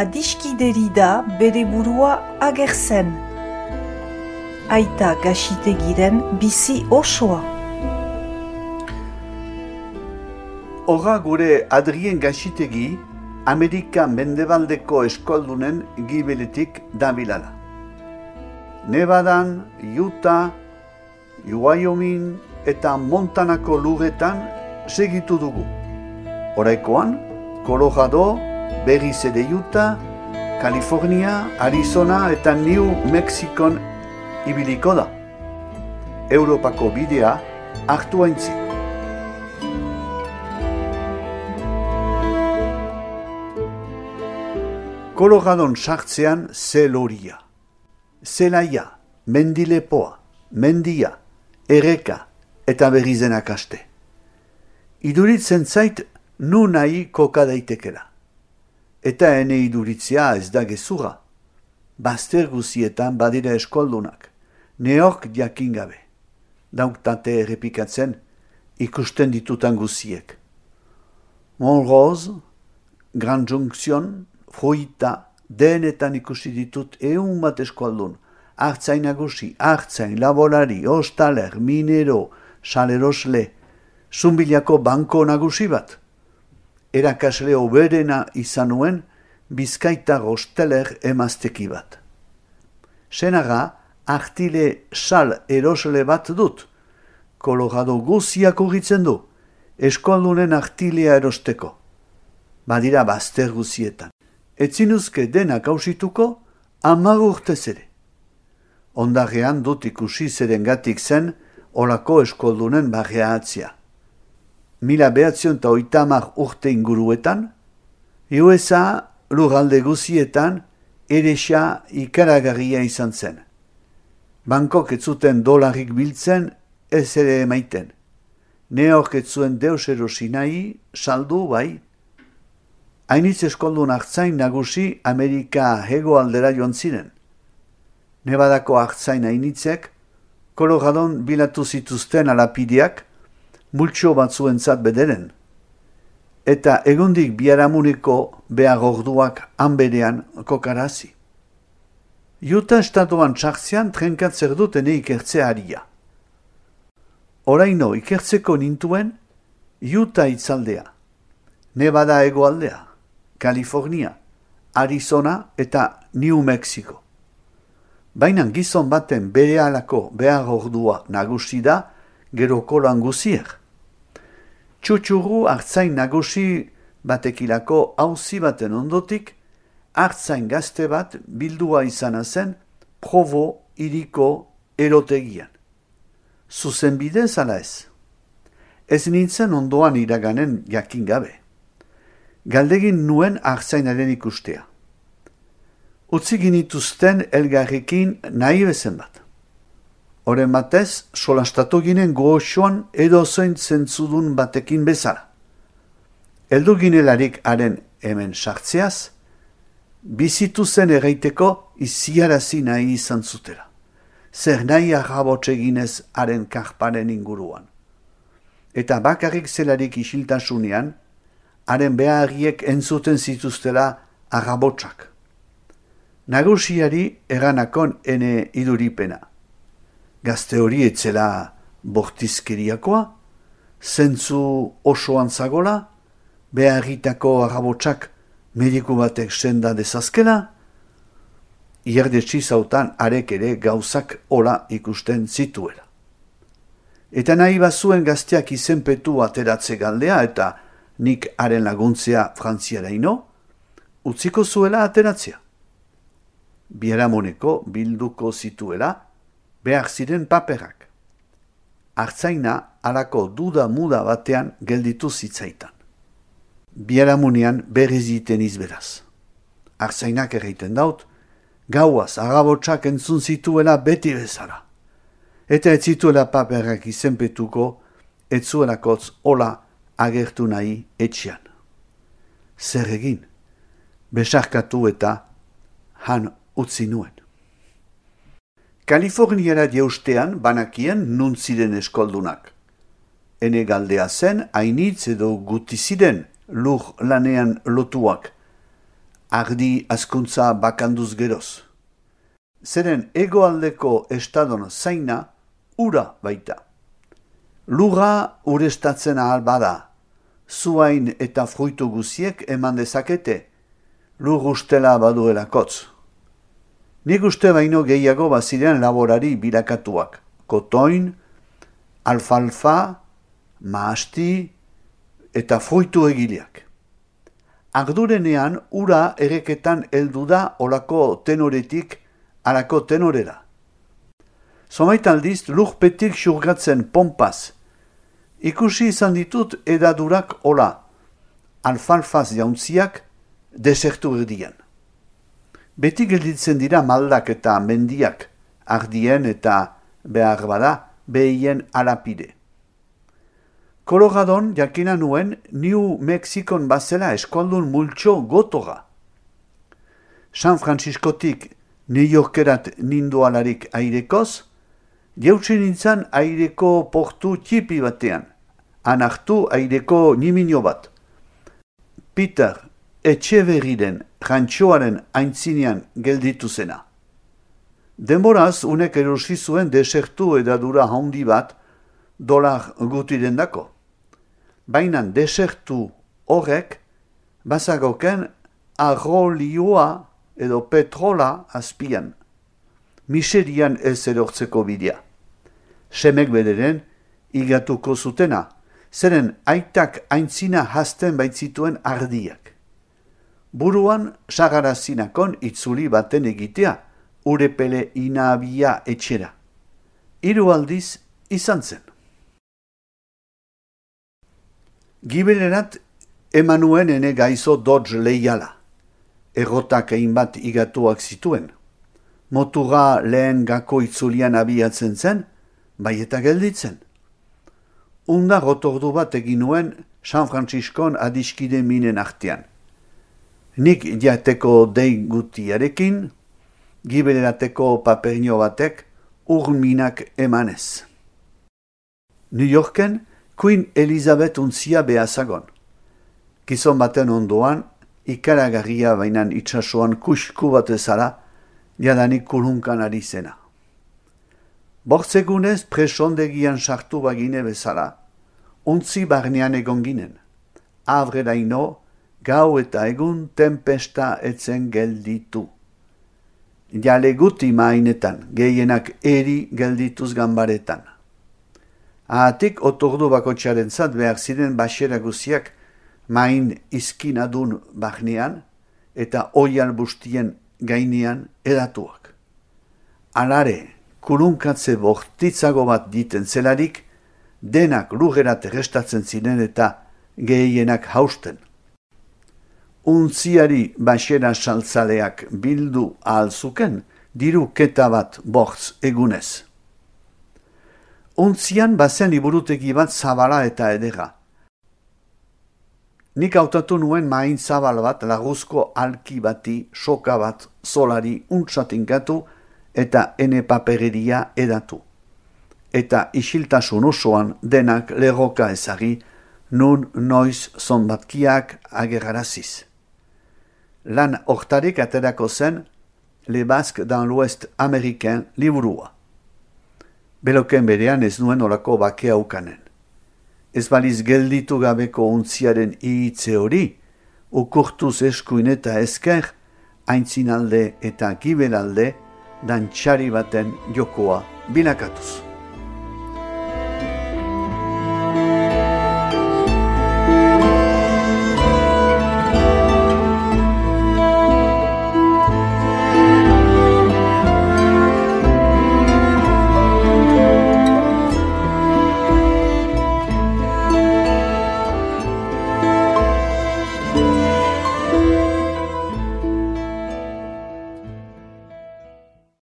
adiskideri da bere burua agertzen. Aita Gaxitegiren bizi osoa. Horra gure Adrien Gaxitegi, Amerika mendebaldeko eskoldunen gibeletik dabilala. Nevadan, Utah, Wyoming eta Montanako lurretan segitu dugu. Oraikoan, Colorado, berriz ere Utah, California, Arizona eta New Mexikon ibiliko da. Europako bidea hartu aintzik. Coloradon sartzean zeloria. Zelaia, mendilepoa, mendia, erreka eta berrizenak aste. Iduritzen zait nu nahi koka daitekela. Eta ene iduritzea ez da gezurra. Bazter guzietan badira eskoldunak, neok jakin gabe. Dauktate errepikatzen ikusten ditutan guziek. Montrose, Grand Junction, Fruita, denetan ikusi ditut 100 bat eskualdun. Artzain nagusi, artzain, laborari, ostaler, minero, salerosle, zumbilako banko nagusi bat. Erakasle oberena izan nuen, Bizkaitar osteler emazteki bat. Senaga, artile sal erosle bat dut. Colorado guziak urritzen du, eskualdunen artilea erosteko. Badira bazter guzietan. Etzinuzke denak hausituko, 10 urtez ere. Ondarrean dut ikusi zerengatik zen olako eskoldunen barreatzia. 1930 urte inguruetan, USA lurralde guzietan eresa ikaragarria izan zen. Bankok ez zuten dolarik biltzen ez ere emaiten. Neok ez zuen deus erosi nahi, saldu bai. Hainitz eskoldun artzain nagusi Amerika hegoaldera joan ziren. Nevadako artzain hainitzek, Coloradon bilatu zituzten alapideak, multxo batzuentzat bederen. Eta egundik biharamuneko behar orduak hanberean kokarazi. Utah estatuan txartzean trenkatzer dut ene ikertzea haria. Oraino ikertzeko nintuen Utah itzaldea, Nevada hegoaldea, California, Arizona eta New Mexico. Baina gizon baten berehalako behar ordua nagusi da geroko lan guzier. Txutxurru artzain nagusi batekilako auzi baten ondotik, artzain gazte bat bildua izana zen Provo hiriko erotegian. Zuzen bidez ala ez. Ez nintzen ondoan iraganen jakin gabe. Galdegin nuen artzainaren ikustea. Utzi ginituzten elgarrekin nahi bezen bat. Horren batez, solastatu ginen goxoan edozoin zentzudun batekin bezala. Eldu ginelarik haren hemen sartzeaz, bizitu zen erraiteko iziarazi nahi izan zutela. Zer nahi arrabotxe ginez haren karparen inguruan. Eta bakarrik zelarik isiltasunean, haren beharriek entzuten zituztela arrabotxak. Nagusiari eranakon ene iduripena. Gazte hori etzela bortizkeriakoa, zentzu osoan zagola, beharritako arrabotxak mediku batek senda dezazkela, ierdetsi zautan arek ere gauzak hola ikusten zituela. Eta nahi bazuen gazteak izenpetu ateratze galdea eta nik haren laguntzea frantziaraino, utziko zuela ateratzea. Biharamoneko bilduko zituela, behar ziren paperak. Artzaina halako duda muda batean gelditu zitzaitan. Biharamunean berriz iten izberaz. Artzainak erraiten daut, gauaz arrabotsak entzun zituela beti bezala. Eta ez zituela paperak izenpetuko, ez zuelakotz hola agertu nahi etxean. Zer egin? Besarkatu eta han utzi nuen. Kaliforniara jeustean banakien nun ziren eskoldunak. Ene galdea zen hainitz edo guti ziren lur lanean lotuak. ardi azkuntza bakanduz geroz. Zeren hegoaldeko estadon zaina ura baita. Lurra urestatzen ahal bada, zuain eta fruitu guziek eman dezakete, lur ustela baduelakotz. Nik uste baino gehiago baziren laborari bilakatuak, kotoin, alfalfa, mahasti eta fruitu egileak. Ardurenean ura ereketan heldu da olako tenoretik alako tenorera. Zomait aldiz lurpetik xurgatzen pompaz. Ikusi izan ditut edadurak ola, alfalfaz jauntziak desertu erdian. Beti gelditzen dira maldak eta mendiak, ardien eta behar bada behien alapide. Coloradon jakina nuen New Mexikon bazela eskualdun multxo gotoga. San Franciscotik New Yorkerat nindualarik airekoz, jautsi nintzen aireko portu txipi batean, anartu aireko nimino bat. Peter Etxeberriren jantxoaren aintzinean gelditu zena. Denboraz unek erosi zuen desertu edadura handi bat $1 gutiren dako. Baina desertu horrek bazagoken arrolioa edo petrola azpian. Miserian ez erortzeko bidea. Semek bederen igatuko zutena, zeren aitak aintzina hasten baitzituen ardiak. Buruan sagarazinakon itzuli baten egitea, urepele inabia etxera. 3 aldiz izan zen. Gibelerat emanuen ene gaizo Dodge leiala. Errotak egin bat igatuak zituen. Motura lehen gako itzulian abiatzen zen, bai eta gelditzen. Unda rotordu bat egin nuen San Franciscon adiskide minen artean. Nik jateko dei gutiarekin, gibelerateko paperino batek urminak emanez. New Yorken Queen Elizabeth untzia behazagon. Gizon baten ondoan, ikaragarria bainan itsasoan kusku bat ezala, jadanik kulunkan ari zena. Bortzegunez presondegian sartu bagine bezala, untzi barnean egon ginen. Avrelaino, gau eta egun tempesta etzen gelditu. Jale guti mainetan, gehienak eri geldituz ganbaretan. Ahatik otordu bakotxaren zat behar ziren baxera guziak main izkinadun barnean eta oial bustien gainean edatuak. Alare, kulunkatze bortitzago bat diten zelarik, denak lurrerat errestatzen ziren eta gehienak hausten. Untziari baxera saltzaleak bildu ahalzuken, diru keta bat bortz egunez. Untzian bazen liburutegi bat zabala eta edera. Nik hautatu nuen main zabal bat laguzko alki bati, soka bat, solari untsatinkatu eta ene papereria edatu. Eta isiltasun osoan denak lerroka ezagi, nun noiz zonbatkiak ageraraziz. Lan hortarik aterako zen Le Basque dans l'Ouest Américain liburua. Beloken berean ez nuen olako bakea ukanen. Ez baliz gelditu gabeko untziaren ihitze hori, ukurtuz eskuin eta esker, aintzinalde eta gibelalde, dantxari baten jokoa bilakatuz.